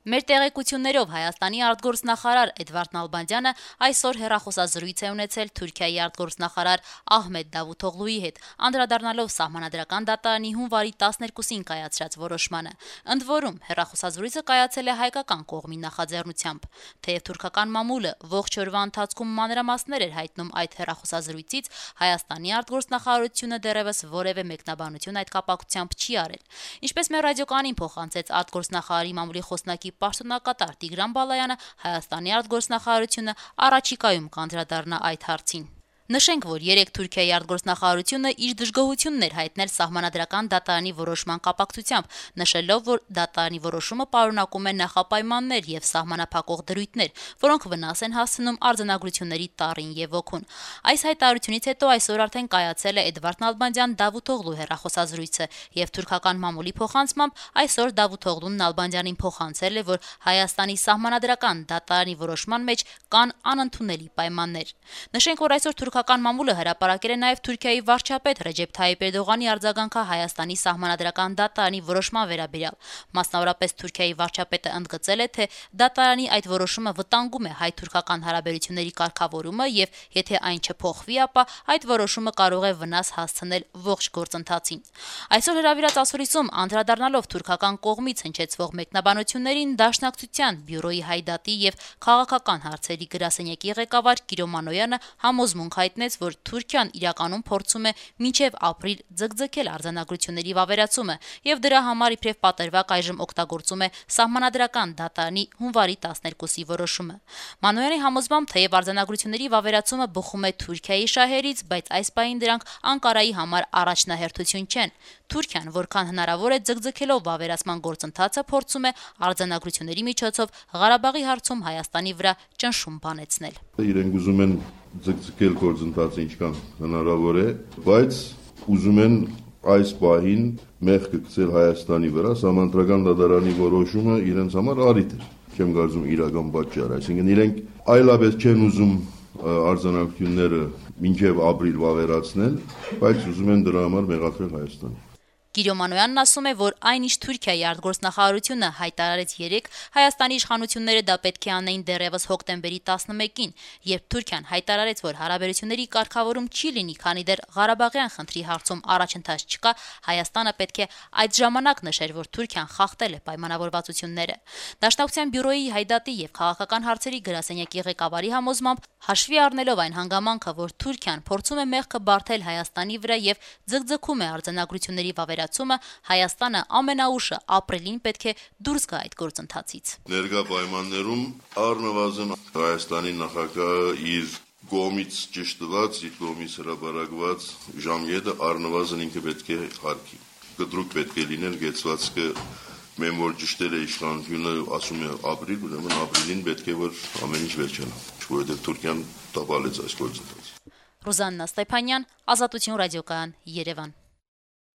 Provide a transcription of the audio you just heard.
Մեր տեղեկություններով Հայաստանի արտգործնախարար Էդվարդ Նալբանդյանը այսօր հեռախոսազրույց է ունեցել Թուրքիայի արտգործնախարար Ահմեդ Դավութօղլուի հետ, անդրադառնալով Սահմանադրական դատարանի հունվարի 12-ին կայացրած որոշմանը։ Ընդ որում, հեռախոսազրույցը կայացել է հայկական կողմի նախաձեռնությամբ։ Թեև թուրքական մամուլը ողջ օրվա ընթացքում մանրամասներ էր հայտնում այդ հեռախոսազրույցից, Հայաստանի արտգործնախարարությունը դեռևս որևէ մեկնաբանություն այդ կապակցությամբ չի արել։ Ինչպես մեր ռադիոկանին փոխանցեց արտգործնախարարի մամուլի խոսնակի պաշտոնակատար Տիգրան Բալայանը, Հայաստանի արտգործնախարարությունը առաջիկայում կանդրադառնա այդ հարցին։ Նշենք, որ երեկ Թուրքիայի արտգործնախարարությունը իր դժգոհությունն էր հայտնել Սահմանադրական դատարանի որոշման կապակցությամբ, նշելով, որ դատարանի որոշումը պարունակում է նախապայմաններ եւ սահմանափակող դրույթներ, որոնք վնաս են հասցնում արձանագրությունների տառին եւ ոգուն։ Այս հայտարարությունից հետո այսօր արդեն կայացել է Էդվարդ Նալբանդյան Դավութօղլու հեռախոսազրույցը եւ թուրքական մամուլի փոխանցմամբ այսօր Դավութօղլուն Նալբանդյանին փոխանցել է, որ Հայաստանի Սահմանադրական դատարանի որոշման մեջ կան անընդունելի պայմաններ։ Նշենք, որ այսօր թուրքական մամուլը հրապարակել է նաև Թուրքիայի վարչապետ Ռեջեփ Թայիփ Էրդողանի արձագանքը Հայաստանի Սահմանադրական դատարանի որոշման վերաբերյալ։ Մասնավորապես Թուրքիայի վարչապետը ընդգծել է, թե դատարանի այդ որոշումը վտանգում է հայ-թուրքական հարաբերությունների կարգավորումը եւ եթե այն չփոխվի, ապա այդ որոշումը կարող է վնաս հասցնել ողջ գործընթացին։ Այսօր հրավիրած ասուլիսում անդրադառնալով թուրքական կողմից հնչեցվող մեկնաբանություններին, Դաշնակցության բյուրոյի Հայդատի եւ քաղաքական հարցերի գրասենյակի ղեկավար Կիրո Մանոյանը համոզմունք հայտնեց, որ Թուրքիան իրականում փորձում է մինչև ապրիլ ձգձգել արձանագրությունների վավերացումը եւ դրա համար իբրև պատրվակ այժմ օգտագործում է Սահմանադրական դատարանի հունվարի 12-ի որոշումը։ Մանոյանի համոզմամբ, թեև արձանագրությունների վավերացումը բխում է Թուրքիայի շահերից, բայց այս պահին դրանք Անկարայի համար առաջնահերթություն չեն։ Թուրքիան, որքան հնարավոր է ձգձգելով վավերացման գործընթացը, փորձում է արձանագրությունների միջոցով Ղարաբաղի հարցում Հայաստանի վրա ճնշում բանեցնել։ Իրենք ուզում են ձգձգել գործընթացը ինչքան հնարավոր է, բայց ուզում են այս պահին մեղքը գցել Հայաստանի վրա, Սահմանադրական դատարանի որոշումը իրենց համար առիթ է, չեմ կարծում իրական պատճառ, այսինքն իրենք այլապես չեն ուզում արձանագրությունները մինչև ապրիլ վավերացնել, բայց ուզում են դրա համար մեղադրել Հայաստանը։ Կիրո Մանոյանն ասում է, որ այնինչ Թուրքիայի արտգործնախարարությունը հայտարարեց երեկ, Հայաստանի իշխանությունները դա պետք է անեին դեռևս հոկտեմբերի 11-ին, երբ Թուրքիան հայտարարեց, որ հարաբերությունների կարգավորում չի լինի, քանի դեռ Ղարաբաղյան խնդրի հարցում առաջընթաց չկա, Հայաստանը պետք է այդ ժամանակ նշեր, որ Թուրքիան խախտել է պայմանավորվածությունները։ Դաշնակցության բյուրոյի Հայդատի եւ քաղաքական հարցերի գրասենյակի ղեկավարի համոզմամբ, հաշվի առնելով այն հանգամանքը, որ Թուրքիան փորձում է մեղքը բարթել Հայաստանի վրա եւ ձգձգում է արձանագրությունների վավերացումը, Հայաստանը ամենաուշը ապրիլին պետք է դուրս գա այդ գործընթացից։ Ներկա պայմաններում առնվազն Հայաստանի նախագահը իր կողմից ճշտված, իր կողմից հրապարակված ժամկետը առնվազն ինքը պետք է հարգի։ Կտրուկ պետք է լինել գեցվածքը, մեն որ ճշտել է իշխանությունը, ասում է ապրիլ, ուրեմն ապրիլին պետք է որ ամեն ինչ վերջանա, որովհետև Թուրքիան տապալեց այս գործընթացը։ Ռուզաննա Ստեփանյան, Ազատություն ռադիոկայան, Երևան։